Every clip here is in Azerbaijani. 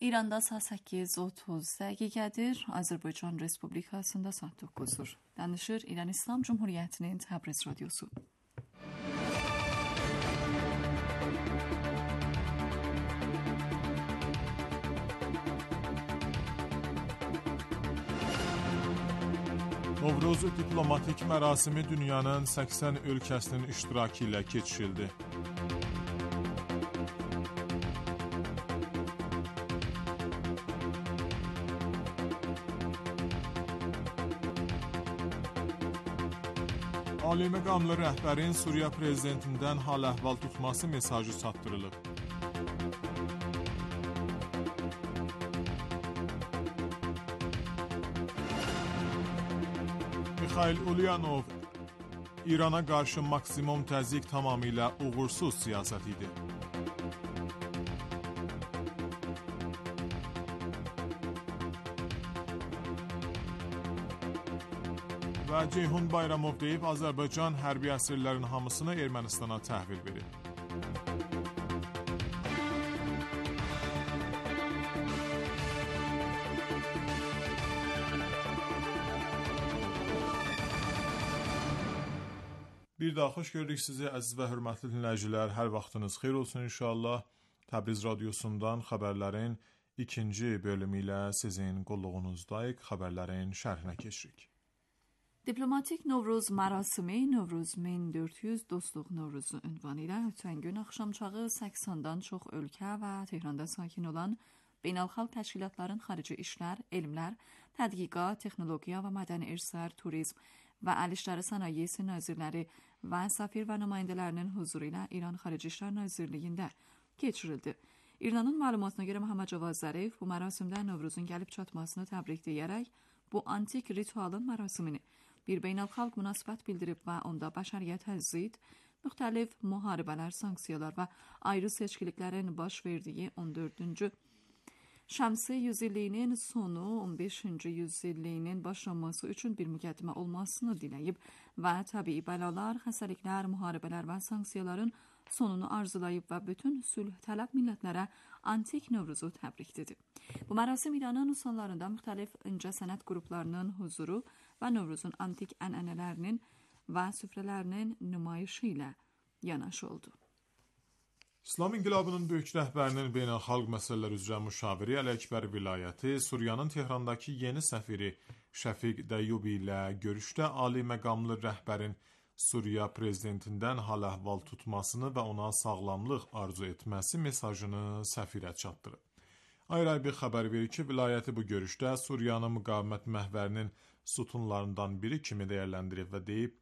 İranda saat 8:30 dəqiqədir, Azərbaycan Respublikasında saat 9-dur. Danışır İran İslam Cumhuriyyətinin Təbriz radiosu. Novruz diplomatik mərasimi dünyanın 80 ölkəsinin iştirakı ilə keçirildi. Ali məqamlı rəhbərin Suriya prezidentindən hal-əhval tutması mesajı çatdırılıb. Mikhail Ulyanov, İrana qarşı maksimum təzyiq tamamilə uğursuz siyasət idi. Və Ceyhun Bayramov deyib, Azərbaycan hərbi əsirlərin hamısını Ermənistana təhvil verib. Bir daha xoş gördük sizi əziz və hörmətli dinləyicilər. Hər vaxtınız xeyir olsun inşallah. Təbriz radiosundan xəbərlərin ikinci bölümü ilə sizin qulluğunuzdayıq. Xəbərlərin şərhinə keçirik. Diplomatik Novruz mərasimi Novruz 1400 Dostluq Novruzu ünvanı ilə ötən gün axşamçağı 80-dan çox ölkə və Tehranda sakin olan beynəlxalq təşkilatların xarici işlər, elmlər, tədqiqat, texnologiya və mədəni irslər, turizm və əl işləri sənayesi nazirləri və səfir və nümayəndələrinin huzuru ilə İran Xarici İşlər Nazirliyində keçirildi. İranın məlumatına görə Məhəmməd Cavad Zərif bu mərasimdə Novruzun gəlib çatmasını təbrik deyərək bu antik ritualın mərasimini bir beynəlxalq münasibət bildirib və onda bəşəriyyətə zid müxtəlif müharibələr, sanksiyalar və ayrı seçkiliklərin baş verdiyi 14-cü Şəmsi yüzilliyinin sonu 15-ci yüzilliyinin başlanması üçün bir müqəddimə olmasını diləyib və təbii bəlalar, xəstəliklər, müharibələr və sanksiyaların sonunu arzulayıb və bütün sülh tələb millətlərə antik Novruzu təbrik dedi. Bu mərasim İranın usullarında müxtəlif incəsənət qruplarının huzuru və Novruzun antik ənənələrinin və süfrələrinin nümayişi ilə yanaşı oldu. İslam İnqilabının böyük rəhbərinin beynəlxalq məsələlər üzrə müşaviri Əli-Əkbər vilayəti Suriyanın Tehrandakı yeni səfiri Şəfiq Dəyyubi ilə görüşdə ali məqamlı rəhbərin Suriya prezidentindən hal-əhval tutmasını və ona sağlamlıq arzu etməsi mesajını səfirə çatdırıb. Ayrı bir xəbər verir ki, vilayəti bu görüşdə Suriyanın müqavimət məhvərinin sütunlarından biri kimi dəyərləndirib və deyib,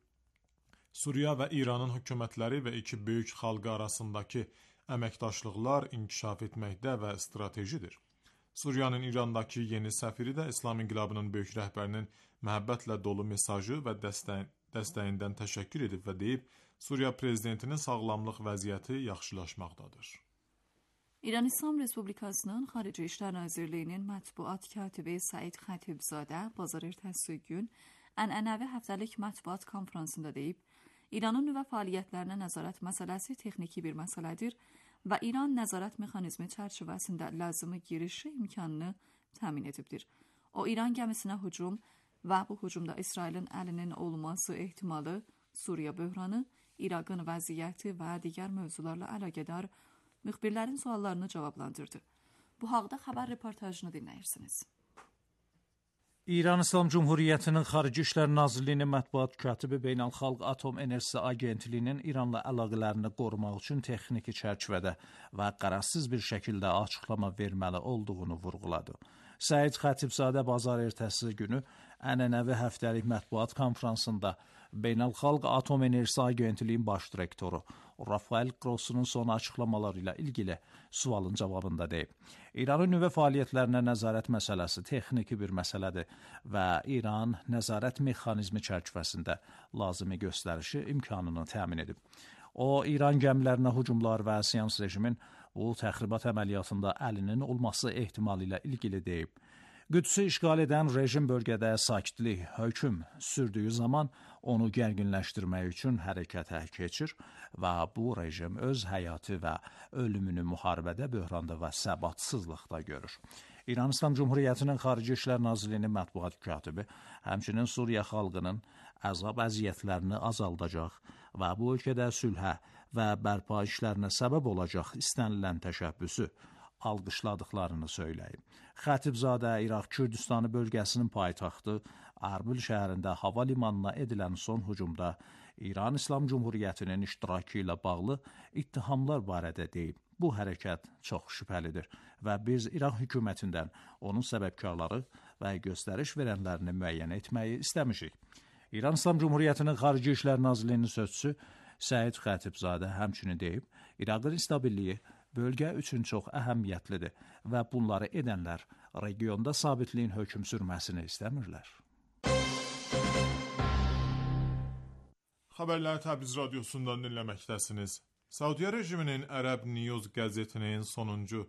Suriya və İranın hökumətləri və iki böyük xalqı arasındakı əməkdaşlıqlar inkişaf etməkdə və stratejidir. Suriyanın İrandakı yeni səfiri də İslam İnqilabının böyük rəhbərinin məhəbbətlə dolu mesajı və dəstəyindən təşəkkür edib və deyib, Suriya prezidentinin sağlamlıq vəziyyəti yaxşılaşmaqdadır. İran İslam Respublikasının Xarici İşlər Nazirliyinin mətbuat katibi Səid Xətibzadə bazar ertəsi gün ənənəvi həftəlik mətbuat konfransında deyib, İranın nüvə fəaliyyətlərinə nəzarət məsələsi texniki bir məsələdir və İran nəzarət mexanizmi çərçivəsində lazımi girişi imkanını təmin edibdir. O, İran gəmisinə hücum və bu hücumda İsrailin əlinin olması ehtimalı, Suriya böhranı, İraqın vəziyyəti və digər mövzularla əlaqədar müxbirlərin suallarını cavablandırdı. Bu haqda xəbər reportajını dinləyirsiniz. İran İslam Cumhuriyyətinin Xarici İşlər Nazirliyinin mətbuat katibi Beynəlxalq Atom Enerjisi Agentliyinin İranla əlaqələrini qorumaq üçün texniki çərçivədə və qərəzsiz bir şəkildə açıqlama verməli olduğunu vurğuladı. Səid Xətibzadə bazar ertəsi günü ənənəvi həftəlik mətbuat konfransında Beynəlxalq Atom Enerjisi Agentliyinin baş direktoru Rafael Grossunun son açıqlamaları ilə ilgili sualın cavabında deyib. İranın nüvə fəaliyyətlərinə nəzarət məsələsi texniki bir məsələdir və İran nəzarət mexanizmi çərçivəsində lazımi göstərişi imkanını təmin edib. O, İran gəmilərinə hücumlar və Siyans rejimin bu təxribat əməliyyatında əlinin olması ehtimalı ilə ilgili deyib. Qüdsü işğal edən rejim bölgədə sakitlik hökm sürdüyü zaman onu gərginləşdirmək üçün hərəkətə keçir və bu rejim öz həyatı və ölümünü müharibədə, böhranda və səbatsızlıqda görür. İran İslam Cumhuriyyətinin Xarici İşlər Nazirliyinin mətbuat katibi həmçinin Suriya xalqının əzab əziyyətlərini azaldacaq və bu ölkədə sülhə və bərpa işlərinə səbəb olacaq istənilən təşəbbüsü alqışladıqlarını söyləyib. Xətibzadə İraq Kürdistanı bölgəsinin paytaxtı Ərbil şəhərində hava limanına edilən son hücumda İran İslam Cumhuriyyətinin iştirakı ilə bağlı ittihamlar barədə deyib. Bu hərəkət çox şübhəlidir və biz İraq hökumətindən onun səbəbkarları və göstəriş verənlərini müəyyən etməyi istəmişik. İran İslam Cumhuriyyətinin Xarici İşlər Nazirliyinin sözçüsü Səid Xətibzadə həmçinin deyib, İraqın stabilliyi bölgə üçün çox əhəmiyyətlidir və bunları edənlər regionda sabitliyin hökm sürməsini istəmirlər. Xəbərləri Təbriz radiosundan dinləməkdəsiniz. Saudiya rejiminin Ərəb News qəzetinin sonuncu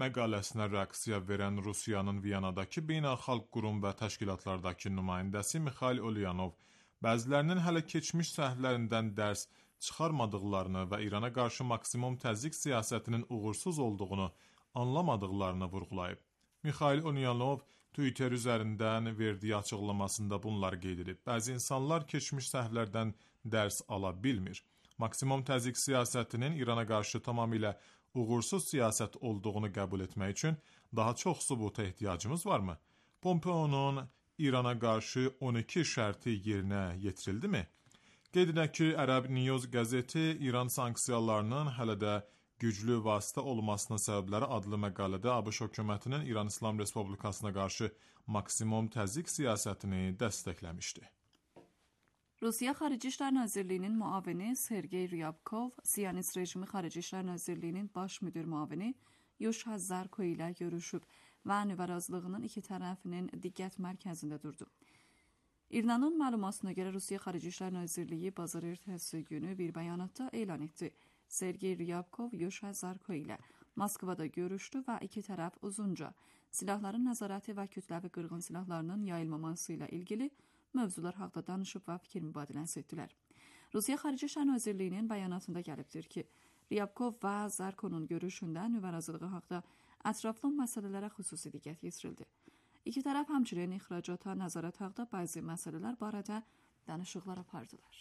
məqaləsinə reaksiya verən Rusiyanın Viyanadakı beynəlxalq qurum və təşkilatlardakı nümayəndəsi Mikhail Ulyanov bəzilərinin hələ keçmiş səhvlərindən dərs çıxarmadıqlarını və İrana qarşı maksimum təzyiq siyasətinin uğursuz olduğunu anlamadıqlarını vurğulayıb. Mikhail Ulyanov Twitter üzərindən verdiyi açıqlamasında bunları qeyd edib. Bəzi insanlar keçmiş səhvlərdən dərs ala bilmir. Maksimum təzyiq siyasətinin İrana qarşı tamamilə uğursuz siyasət olduğunu qəbul etmək üçün daha çox sübuta ehtiyacımız varmı? Pompeo'nun İrana qarşı 12 şərti yerinə yetirildimi? Qeyd edək ki, Ərəb News qəzeti İran sanksiyalarının hələ də güclü vasitə olmasının səbəbləri adlı məqalədə ABŞ hökumətinin İran İslam Respublikasına qarşı maksimum təzyiq siyasətini dəstəkləmişdi. Rusiya Xarici İşlər Nazirliyinin müavini Sergey Ryabkov, Siyonist rejimi Xarici İşlər Nazirliyinin baş müdir müavini Yuşa Zarko ilə görüşüb və nüvə razılığının iki tərəfinin diqqət mərkəzində durdu. İrnanın məlumatına görə Rusiya Xarici İşlər Nazirliyi bazar ertəsi günü bir bəyanatda elan etdi. Sergey Ryabkov Yuşa Zarko ilə Moskvada görüşdü və iki tərəf uzunca silahların nəzarəti və kütləvi qırğın silahlarının yayılmaması ilə ilgili mövzular haqda danışıb və fikir mübadiləsi etdilər. Rusiya Xarici İşlər Nazirliyinin bəyanatında gəlibdir ki, Ryabkov və Zarkonun görüşündə nüvə razılığı haqda ətraflı məsələlərə xüsusi diqqət yetirildi. İki tərəf həmçinin ixracata nəzarət haqda bəzi məsələlər barədə danışıqlar apardılar.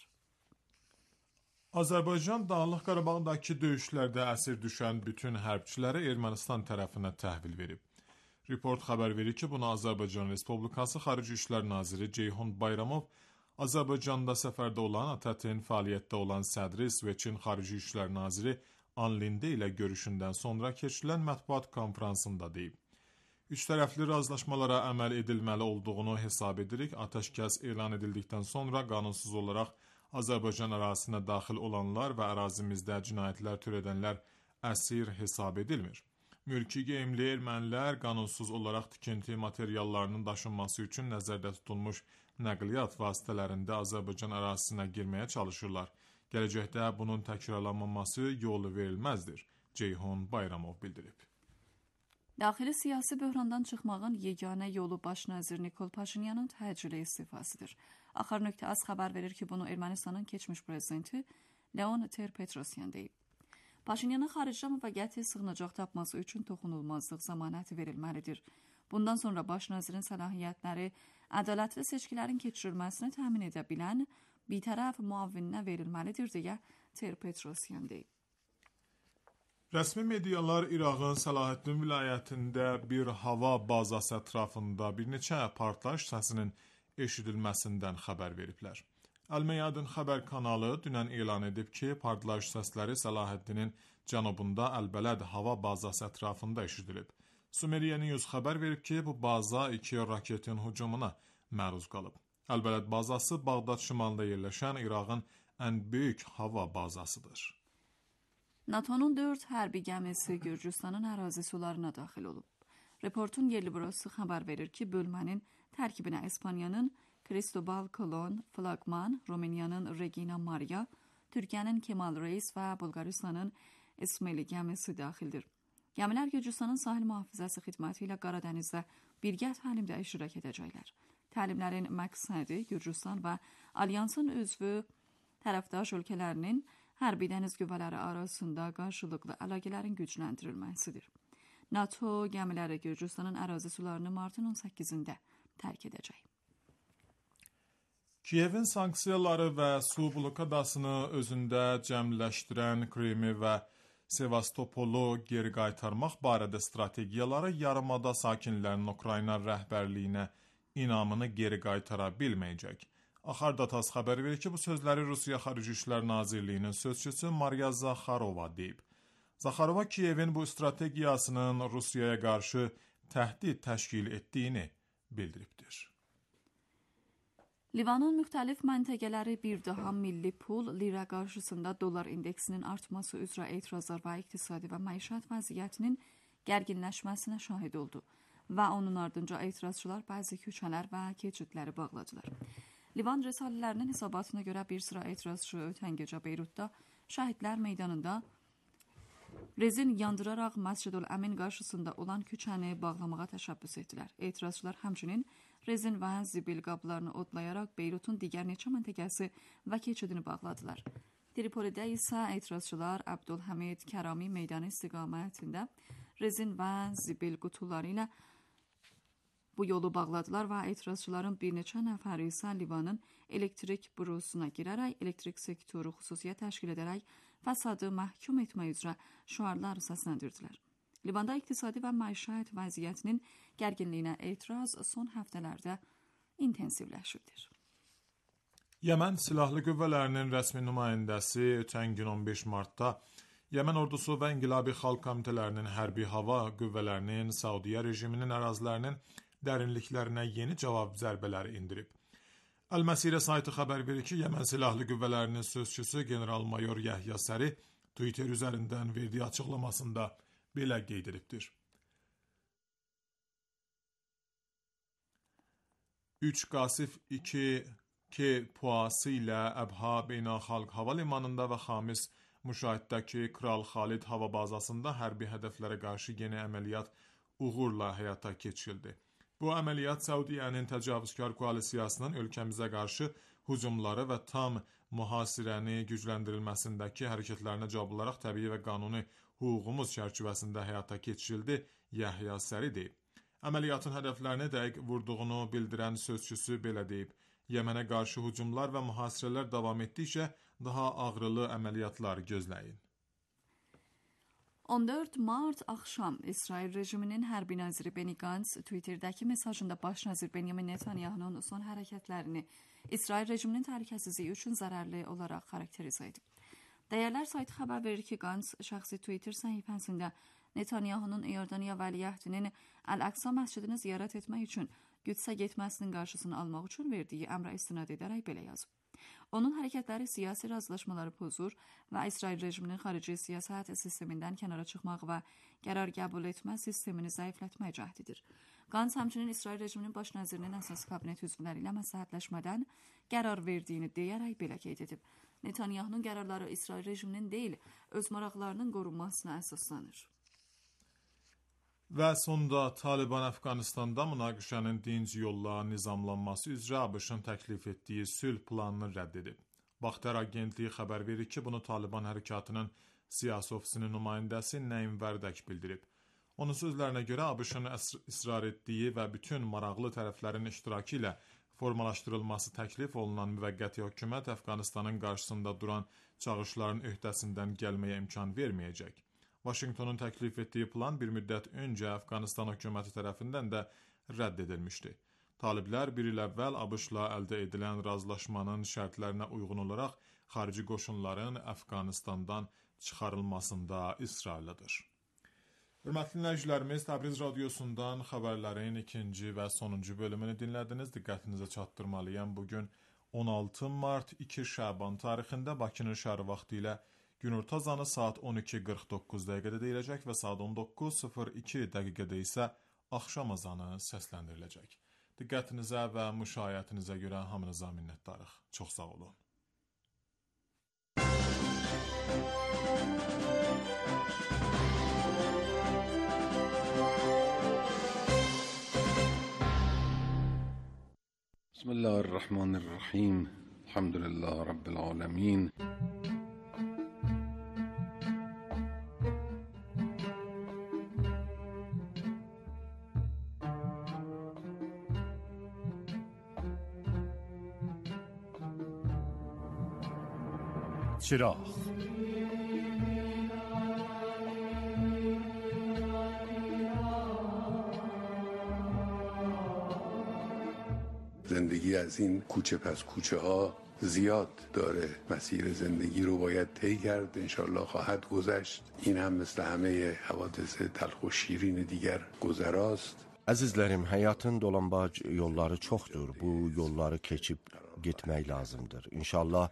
Azərbaycan Dağlıq Qarabağdakı döyüşlərdə əsir düşən bütün hərbçiləri Ermənistan tərəfinə təhvil verib. Report xəbər verir ki, bunu Azərbaycan Respublikası Xarici İşlər Naziri Ceyhun Bayramov Azərbaycanda səfərdə olan ATƏT-in fəaliyyətdə olan sədri İsveçin Xarici İşlər Naziri Anlinde ilə görüşündən sonra keçirilən mətbuat konfransında deyib. Üç tərəfli razılaşmalara əməl edilməli olduğunu hesab edirik. Atəşkəs elan edildikdən sonra qanunsuz olaraq Azərbaycan ərazisinə daxil olanlar və ərazimizdə cinayətlər törədənlər əsir hesab edilmir. Mülki geyimli ermənilər qanunsuz olaraq tikinti materiallarının daşınması üçün nəzərdə tutulmuş nəqliyyat vasitələrində Azərbaycan ərazisinə girməyə çalışırlar. Gələcəkdə bunun təkrarlanmaması yolu verilməzdir, Ceyhun Bayramov bildirib. Daxili siyasi böhrandan çıxmağın yeganə yolu baş nazir Nikol Paşinyanın təcili istifasıdır. Axar.az xəbər verir ki, bunu Ermənistanın keçmiş prezidenti Leon Ter-Petrosyan deyib. Paşinyana xaricdə müvəqqəti sığınacaq tapması üçün toxunulmazlıq zəmanəti verilməlidir. Bundan sonra baş nazirin səlahiyyətləri ədalətli seçkilərin keçirilməsini təmin edə bilən bitərəf müavininə verilməlidir deyə Ter-Petrosyan deyib. Rəsmi medialar İraqın Səlahiddin vilayətində bir hava bazası ətrafında bir neçə partlayış səsinin eşidilməsindən xəbər veriblər. Əl-Meyadin xəbər kanalı dünən elan edib ki, partlayış səsləri Səlahiddinin cənubunda Əl-Bələd hava bazası ətrafında eşidilib. Sumeriya News xəbər verib ki, bu baza iki raketin hücumuna məruz qalıb. Əl-Bələd bazası Bağdad şimalında yerləşən İraqın ən böyük hava bazasıdır. NATO'nun 4 hərbi gəmisi Gürcüstanın ərazi sularına daxil olub. Reportun yerli bürosu xəbər verir ki, bölmənin tərkibinə İspaniyanın Cristobal Colon, Flagman, Rumıniyanın Regina Maria, Türkiyənin Kemal Reis və Bulqaristanın İsmaili gəmisi daxildir. Gəmilər Gürcüstanın sahil mühafizəsi xidməti ilə Qaradənizdə birgə təlimdə iştirak edəcəklər. Təlimlərin məqsədi Gürcüstan və Alyansın üzvü tərəfdaş ölkələrinin hərbi dəniz qüvvələri arasında qarşılıqlı əlaqələrin gücləndirilməsidir. NATO gəmiləri Gürcüstanın ərazi sularını martın 18-də tərk edəcək. Kiyevin sanksiyaları və su blokadasını özündə cəmləşdirən Krimi və Sevastopolu geri qaytarmaq barədə strategiyaları yarımada sakinlərinin Ukrayna rəhbərliyinə inamını geri qaytara bilməyəcək. Axardatas xəbər verir ki, bu sözləri Rusiya Xarici İşlər Nazirliyinin sözçüsü Mariya Zaxarova deyib. Zaxarova Kiyevin bu strategiyasının Rusiyaya qarşı təhdid təşkil etdiyini bildiribdir. Livanın müxtəlif məntəqələri bir daha milli pul, lira qarşısında dollar indeksinin artması üzrə etirazlar və iqtisadi və məişət vəziyyətinin gərginləşməsinə şahid oldu və onun ardınca etirazçılar bəzi küçələr və keçidləri bağladılar. Livan rəsalələrinin hesabatına görə bir sıra etirazçı ötən gecə Beyrutda Şəhidlər meydanında rezin yandıraraq Məscidül Əmin qarşısında olan küçəni bağlamağa təşəbbüs etdilər. Etirazçılar həmçinin rezin və zibil qablarını odlayaraq Beyrutun digər neçə məntəqəsi və keçidini bağladılar. Tripolidə isə etirazçılar Abdülhamid Kərami meydanı istiqamətində rezin və zibil qutuları ilə bu yolu bağladılar və etirazçıların bir neçə nəfəri isə Livanın elektrik bürosuna girərək elektrik sektoru xüsusiyyət təşkil edərək fəsadı məhkum etmək üzrə şüarlar səsləndirdilər. Livanda iqtisadi və məişət vəziyyətinin gərginliyinə etiraz son həftələrdə intensivləşibdir. Yəmən Silahlı Qüvvələrinin rəsmi nümayəndəsi ötən gün 15 martda Yəmən ordusu və İnqilabi Xalq Komitələrinin hərbi hava qüvvələrinin Saudiya rejiminin ərazilərinin dərinliklərinə yeni cavab zərbələri indirib. Əl-Məsirə saytı xəbər verir ki, Yəmən Silahlı Qüvvələrinin sözçüsü general-mayor Yəhya Səri Twitter üzərindən verdiyi açıqlamasında belə qeyd edibdir. 3 Qasif 2K puası ilə Əbha Beynəlxalq Hava Limanında və Xamis Müşahiddəki Kral Xalid hava bazasında hərbi hədəflərə qarşı yeni əməliyyat uğurla həyata keçirildi. Bu əməliyyat Səudiyyənin təcavüzkar koalisiyasının ölkəmizə qarşı hücumları və tam mühasirəni gücləndirilməsindəki hərəkətlərinə cavab olaraq təbii və qanuni hüququmuz çərçivəsində həyata keçirildi, Yəhya Səri deyib. Əməliyyatın hədəflərini dəqiq vurduğunu bildirən sözçüsü belə deyib. Yəmənə qarşı hücumlar və mühasirələr davam etdikcə daha ağrılı əməliyyatlar gözləyin. 14 mart axşam İsrail rejiminin hərbi naziri Benny Gantz Twitterdəki mesajında baş nazir Benjamin Netanyahunun son hərəkətlərini İsrail rejiminin təhlükəsizliyi üçün zərərli olaraq xarakterizə edib. Dəyərlər saytı xəbər verir ki, Gantz şəxsi Twitter səhifəsində Netanyahunun İordaniya vəliəhdinin Əl-Əqsa məscidini ziyarət etmək üçün Qüdsə getməsinin qarşısını almaq üçün verdiyi əmrə istinad edərək belə yazıb. Onun hərəkətləri siyasi razılaşmaları pozur və İsrail rejiminin xarici siyasət sistemindən kənara çıxmaq və qərar qəbul etmə sistemini zəiflətmək cəhdidir. Gantz həmçinin İsrail rejiminin baş nazirinin əsas kabinet üzvləri ilə məsləhətləşmədən qərar verdiyini deyərək belə qeyd edib. Netanyahunun qərarları İsrail rejiminin deyil, öz maraqlarının qorunmasına əsaslanır. Və sonda Taliban Əfqanistanda münaqişənin dinc yolla nizamlanması üzrə ABŞ-ın təklif etdiyi sülh planını rədd edib. Baxtar agentliyi xəbər verir ki, bunu Taliban hərəkatının siyasi ofisinin nümayəndəsi Nəim Vərdək bildirib. Onun sözlərinə görə ABŞ-ın israr etdiyi və bütün maraqlı tərəflərin iştirakı ilə formalaşdırılması təklif olunan müvəqqəti hökumət Əfqanistanın qarşısında duran çağırışların öhdəsindən gəlməyə imkan verməyəcək. Vaşinqtonun təklif etdiyi plan bir müddət öncə Əfqanistan hökuməti tərəfindən də rədd edilmişdi. Taliblər bir il əvvəl ABŞ-la əldə edilən razılaşmanın şərtlərinə uyğun olaraq xarici qoşunların Əfqanistandan çıxarılmasında israrlıdır. Hörmətli dinləyicilərimiz, Təbriz radiosundan xəbərlərin ikinci və sonuncu bölümünü dinlədiniz. Diqqətinizə çatdırmalıyam. Bugün 16 mart 2 Şaban tarixində Bakının şəhəri vaxtı ilə günorta azanı saat 12:49 dəqiqədə deyiləcək və saat 19:02 dəqiqədə isə axşam azanı səsləndiriləcək. Diqqətinizə və müşayiətinizə görə hamınıza minnətdarıq. Çox sağ olun. بسم الله الرحمن الرحیم الحمد لله رب العالمین. چراغ زندگی از این کوچه پس کوچه ها زیاد داره. مسیر زندگی رو باید طی کرد، انشالله خواهد گذشت. این هم مثل همه حوادث تلخ و şirin دیگر گذراست. Əzizlərim, həyatın dolambac yolları çoxdur. Bu yolları keçib getmək lazımdır. İnşallah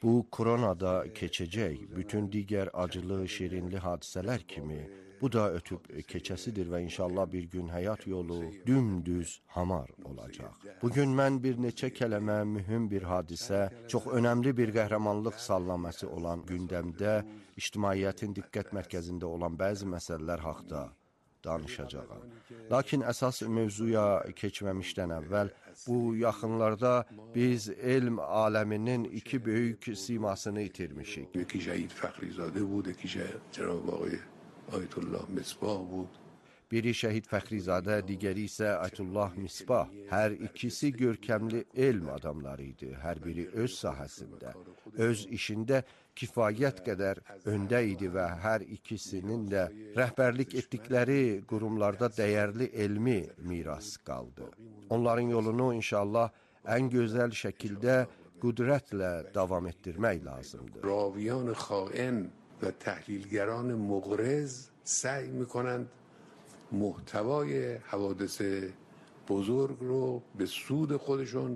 bu koronada keçəcək. Bütün digər acılı, şirinli hadisələr kimi bu da ötüb keçəsidir və inşallah bir gün həyat yolu dümdüz hamar olacaq. Bugün mən bir neçə kələmə mühüm bir hadisə, çox önəmli bir qəhrəmanlıq sallaması olan gündəmdə ictimaiyyətin diqqət mərkəzində olan bəzi məsələlər haqqında danışacağam. Lakin əsas mövzuya keçməmişdən əvvəl bu yaxınlarda biz elm aləminin iki böyük simasını itirmişik. یکی شهید فخریزاده بود، یکی جناب آقای آیت الله مصباح بود. Biri Şəhid Fəxrizadə, digəri isə Aytullah Misbah. Hər ikisi görkəmli elm adamları idi. Hər biri öz sahəsində, öz işində kifayət qədər öndə idi və hər ikisinin də rəhbərlik etdikləri qurumlarda dəyərli elmi miras qaldı. Onların yolunu inşallah ən gözəl şəkildə qüdrətlə davam etdirmək lazımdır. راویان خائن و تحلیلگران مغرض سعی میکنند محتوای حوادث بزرگ رو به سود خودشون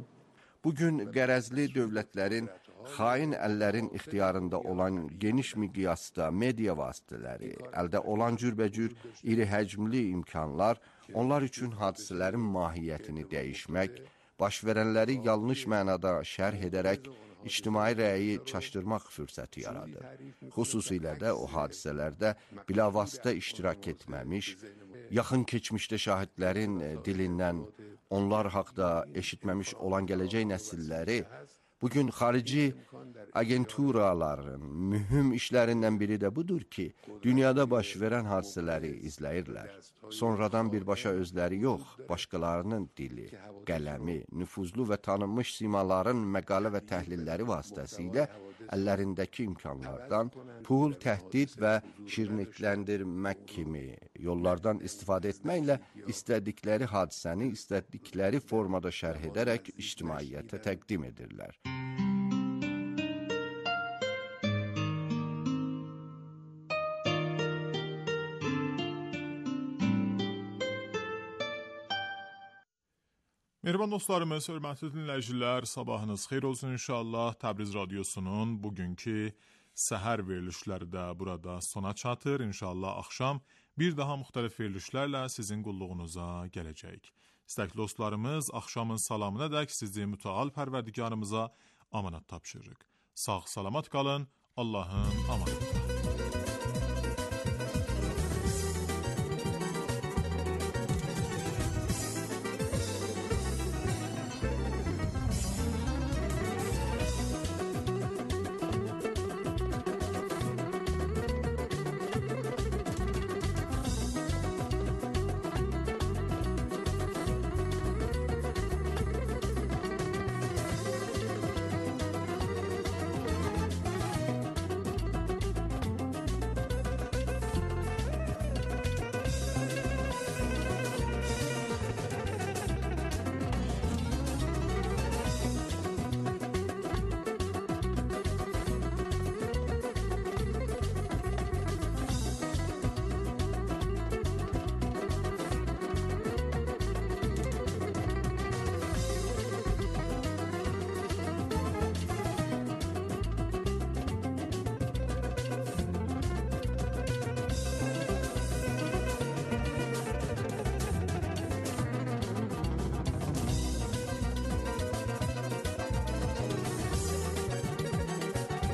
Bugün qərəzli dövlətlərin, xain əllərin ixtiyarında olan geniş miqyasda media vasitələri, əldə olan cürbəcür iri həcmli imkanlar, onlar üçün hadisələrin mahiyyətini dəyişmək, baş verənləri yanlış mənada şərh edərək, ictimai rəyi çaşdırmaq fürsəti yaradır. Xüsusilə də o hadisələrdə bilavasitə iştirak etməmiş, yaxın keçmişdə şahidlərin dilindən onlar haqda eşitməmiş olan gələcək nəsilləri bugün xarici agenturaların mühüm işlərindən biri də budur ki, dünyada baş verən hadisələri izləyirlər. Sonradan birbaşa özləri yox, başqalarının dili, qələmi, nüfuzlu və tanınmış simaların məqalə və təhlilləri vasitəsilə əllərindəki imkanlardan pul, təhdid və şirinlikləndirmək kimi yollardan istifadə etməklə istədikləri hadisəni istədikləri formada şərh edərək ictimaiyyətə təqdim edirlər. Mehriban dostlarımız, hörmətli dinləyicilər, sabahınız xeyir olsun inşallah. Təbriz Radiosunun bugünkü səhər verilişləri də burada sona çatır. İnşallah axşam bir daha müxtəlif verilişlərlə sizin qulluğunuza gələcək. İstəkli dostlarımız, axşamın salamına dək sizi mütəal pərverdigarımıza amanat tapşırırıq. Sağ salamat qalın, Allahın amanatı.